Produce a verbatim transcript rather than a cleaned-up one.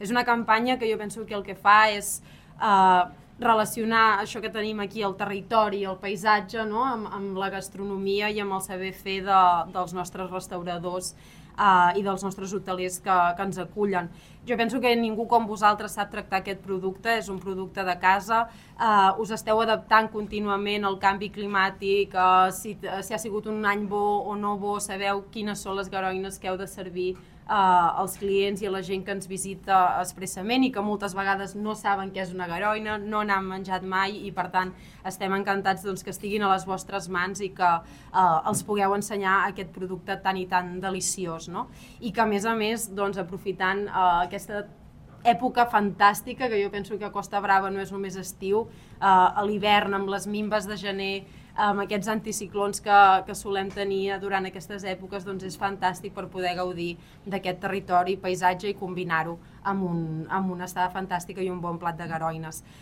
és una campanya que jo penso que el que fa és eh, relacionar això que tenim aquí, el territori, el paisatge, no? amb, amb la gastronomia i amb el saber fer de, dels nostres restauradors uh, i dels nostres hotelers que, que ens acullen. Jo penso que ningú com vosaltres sap tractar aquest producte, és un producte de casa, uh, us esteu adaptant contínuament al canvi climàtic, uh, si, si ha sigut un any bo o no bo, sabeu quines són les garoines que heu de servir Uh, als clients i a la gent que ens visita expressament i que moltes vegades no saben què és una garoina, no n'han menjat mai i per tant estem encantats doncs, que estiguin a les vostres mans i que uh, els pugueu ensenyar aquest producte tan i tan deliciós, no? I que a més a més doncs, aprofitant uh, aquesta època fantàstica, que jo penso que Costa Brava no és només estiu, uh, a l'hivern amb les minves de gener, amb aquests anticiclons que, que solem tenir durant aquestes èpoques, doncs és fantàstic per poder gaudir d'aquest territori, paisatge i combinar-ho amb, un, amb una estada fantàstica i un bon plat de garoines.